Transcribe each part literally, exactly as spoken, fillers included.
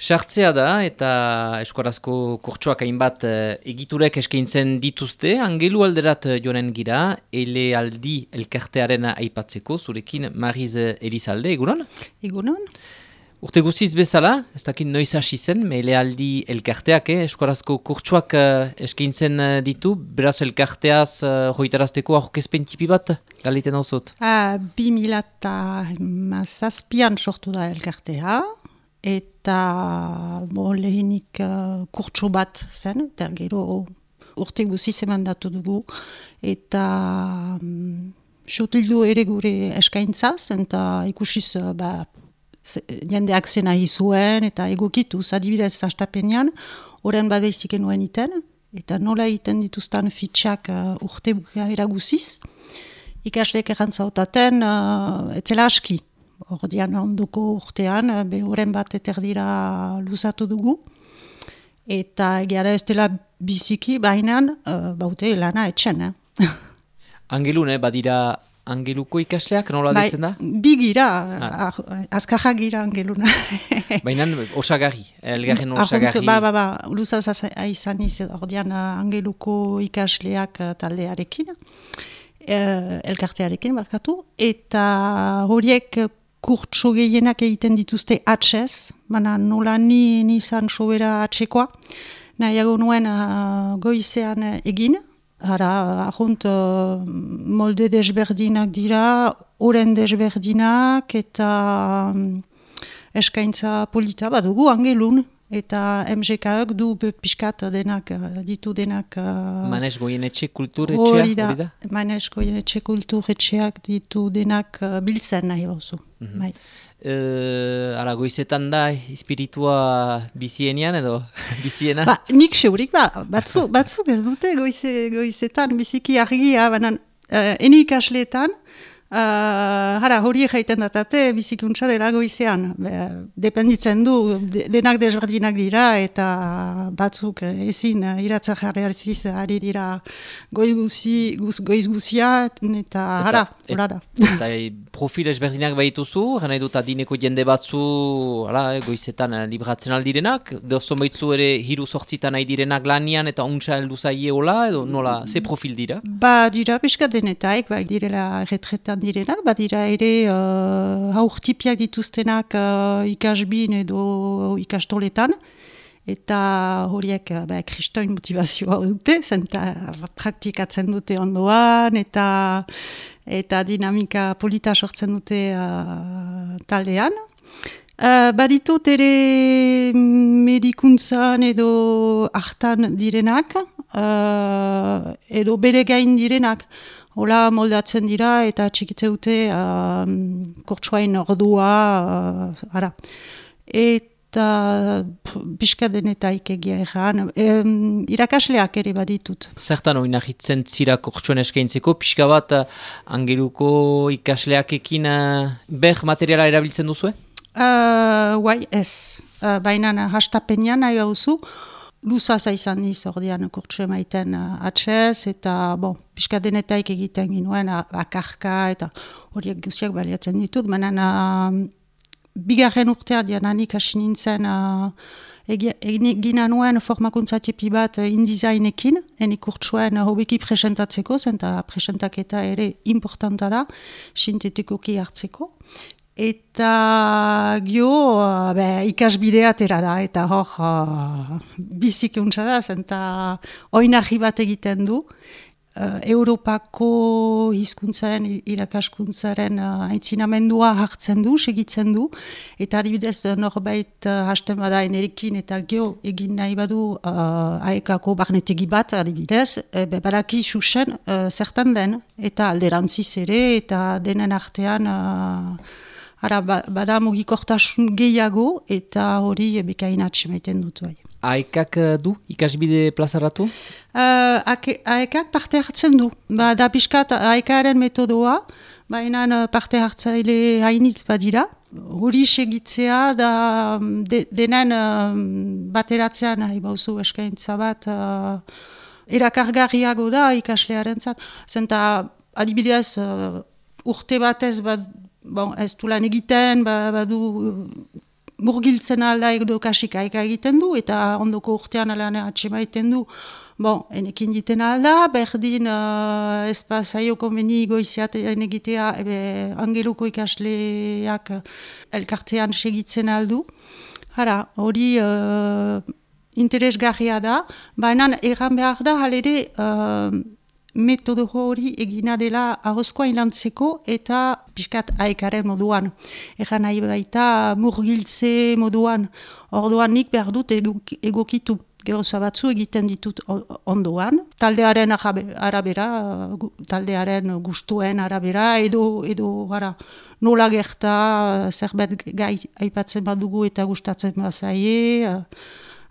Sartzea da eta eskuarazko kurtsoak hainbat eh, egiturek eskaintzen dituzte, angelu alderat joanen gira, ele aldi elkartearen aipatzeko, zurekin Mariz Elizalde, egunon? Egunon? Urte guziz bezala, ez dakit noiz hasi zen, ele aldi elkarteak, eh, eskuarazko kurtsoak eh, eskaintzen eh, ditu, beraz elkarteaz eh, hoitarazteko aurkezpen tipi bat, galiten hau zot? Ah, bi mila eta zazpian sortu da elkartea, eta bo, lehenik uh, kurtso bat zen, eta gero urte guziz emandatu dugu, eta um, sotildu ere gure eskaintzaz, eta ikusiz uh, ba, jendeak zena izuen, eta egokituz, adibidez hastapenean, horren badeizik enuen iten, eta nola iten dituzten fitxak uh, urte bukaera guziz, ikasleek errantzautatен, uh, etzela aski. Ordian ondoko urtean, be horren bat eterdira luzatu dugu, eta egia da ez dela biziki, baina uh, baute lana etxen. Eh? Angelun, eh, badira angeluko ikasleak, nola Bai, ditzen da? bi gira, Ah. azkarra gira angeluna. Baina osagarri, elgarren osagarri. Ba, ba, ba, luzaz izan izan, ordian angeluko ikasleak uh, taldearekin, uh, elkartearekin barkatu, eta horiek kurtso gehienak egiten dituzte atxez, baina nola ni nizan sobera atxekoa, nahiago nuen uh, goizean egin, hara, ahunt uh, molde desberdinak dira, oren desberdinak, eta um, eskaintza polita badugu angelun, eta M G K-ek du pixkat denak, ditu denak... Uh, Manes Goienetxe kulturetxea, hori da? Manes Goienetxe kulturetxeak ditu denak uh, biltzen nahi bauzu. Mm-hmm. Bai. Uh, ara, goizetan da, espiritua bizienian edo biziena? Ba, nik seurik, ba, batzu, batzuk ez dute goize, goizetan biziki argia, banan uh, eni ikasleetan, uh, hara, hori jaiten datate bizikuntza dela goizean. Be, dependitzen du, de, denak desberdinak dira, eta batzuk ezin uh, iratza jarriarziz ari dira goiz guzi, guz, goiz guzia, eta hara, hora da. Eta profil ezberdinak baituzu, gana edut adineko jende batzu ala, goizetan libratzen aldirenak, dozon baitzu ere hiru sortzitan nahi direnak lanian eta untsa heldu zaie hola, edo nola, ze profil dira? Ba, dira pixka denetaik, ba, direla retretan direnak, ba, dira ere uh, haurtipiak dituztenak uh, ikasbin edo ikastoletan, eta horiek ba, kristoin motivazioa dute, zenta praktikatzen dute ondoan, eta eta dinamika polita sortzen dute uh, taldean. Uh, baditut ere medikuntzan edo hartan direnak, uh, edo bere gain direnak, hola moldatzen dira eta txikitze dute uh, kurtsuain ordua, uh, ara. Eta eta pixka denetaik egia erran. E, irakasleak ere baditut. Zertan hori nahitzen zira kurtsuan eskaintzeko, pixka bat angeluko ikasleakekin uh, ber materiala erabiltzen duzue? Uh, Guai, ez. Uh, Baina hastapenean nahi hauzu, luzaza izan niz ordean kurtsu emaiten uh, atxez, eta bon, pixka denetaik egiten ginuen, akarka, eta horiek guziak baliatzen ditut, baina uh, bigarren urtea diananik hasi nintzen uh, egina nuen formakuntza tipi bat uh, indizainekin, eni kurtsuen uh, hobeki presentatzeko, zenta presentaketa ere importanta da, sintetikoki hartzeko. Eta gio, uh, be, ikasbidea atera da, eta hor uh, biziki untsa da, zenta oinarri bat egiten du, Uh, Europako hizkuntzaren, irakaskuntzaren uh, aitzinamendua hartzen du, segitzen du, eta adibidez norbait uh, hasten bada enerekin eta geo egin nahi badu uh, aekako barnetegi bat adibidez, e, be, badaki xuxen uh, zertan den, eta alderantziz ere, eta denen artean uh, ara, ba, bada mugikortasun gehiago, eta hori e, bekain atxemaiten dut bai. Aekak du ikasbide plazaratu? Uh, Aekak parte hartzen du. Ba, da pixkat aekaren metodoa, baina parte hartzaile hainitz badira. Hori segitzea da de, denen uh, bateratzean nahi bauzu eskaintza bat uh, erakargarriago da ikaslearen zat. Zenta adibidez uh, urte batez bat, bon, ez du lan egiten, ba, badu murgiltzen alda edo kasikaika egiten du, eta ondoko urtean alan atxema egiten du, bon, enekin diten alda, berdin uh, ez pasaio konveni goiziaten egitea, ebe, angeluko ikasleak elkartean segitzen aldu. Hara, hori uh, interesgarria da, baina erran behar da, halere, uh, metodo hori egina dela ahozkoa ilantzeko eta pixkat aekaren moduan. Egan nahi baita murgiltze moduan. Orduan nik behar dut egokitu. Geroza batzu egiten ditut ondoan. Taldearen arabera, taldearen gustuen arabera, edo, edo gara, nola gerta, zerbait gai aipatzen badugu eta gustatzen bazaie.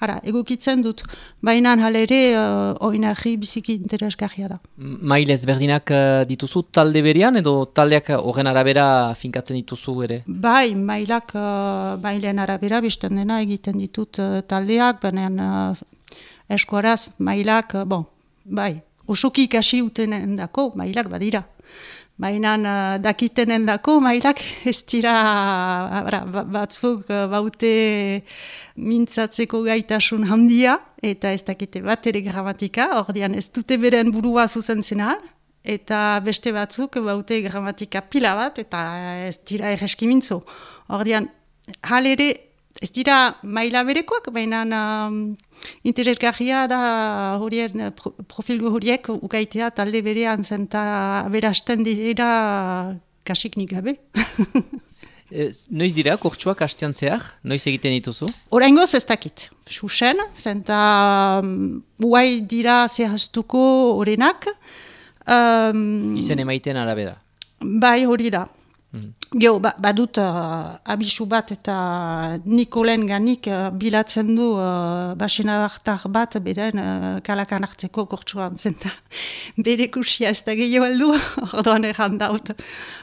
Hara, egokitzen dut, baina halere uh, oinarri biziki interesgarria da. Mail ezberdinak uh, dituzu talde berean edo taldeak horren arabera finkatzen dituzu ere? Bai, mailak uh, mailen arabera bizten dena egiten ditut uh, taldeak, baina uh, eskuaraz mailak, uh, bon, bai, osoki ikasi utenen dako mailak badira. Baina uh, dakitenen dako mailak ez dira uh, batzuk uh, baute mintzatzeko gaitasun handia, eta ez dakite bat ere gramatika, ordean ez dute beren burua zuzentzena, eta beste batzuk baute gramatika pila bat, eta ez dira erreski mintzo. Ordean, halere, ez dira maila berekoak, baina um, interesgarria da horien pro, profil horiek ukaitea talde berean zenta berasten dira kasik nik gabe. Noiz dira, kurtsuak hastean zehar? Noiz egiten dituzu? Oraingoz ez dakit. Xuxen, zenta um, uai dira zehaztuko horenak. Um, Izen emaiten arabera? Bai, hori da. Mm. Geo, ba, badut uh, abisu bat eta Nikolen ganik uh, bilatzen du uh, basena hartar bat beden uh, kalakan hartzeko kurtsuan zenta. Bere kusia ez da gehiago aldu, ordoan erran daut.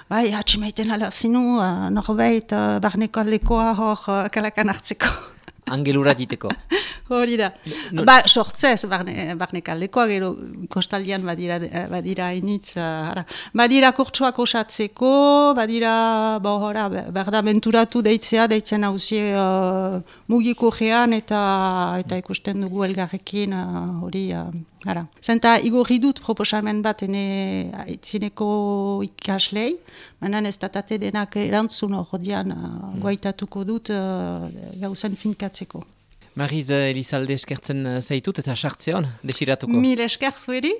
Bai, atximaiten ala zinu, uh, norbait uh, barneko aldekoa hor uh, kalakan hartzeko. Angelura diteko. Hori da. No. Ba, sortzez, barne, barnek aldekoa, gero kostaldian badira, badira initz. Uh, badira kurtsuak osatzeko, badira, bo, hora, berda menturatu deitzea, deitzen hauzie uh, mugiko gean eta, eta ikusten dugu elgarrekin, uh, hori, uh, hara. Zenta, igorri dut proposamen bat ene itzineko ikaslei, manan ez datate denak erantzun horian uh, goaitatuko dut uh, gauzen finkatzeko. Mariz Elizalde eskertzen zaitut eta sartzeon, desiratuko. Mil esker zueri.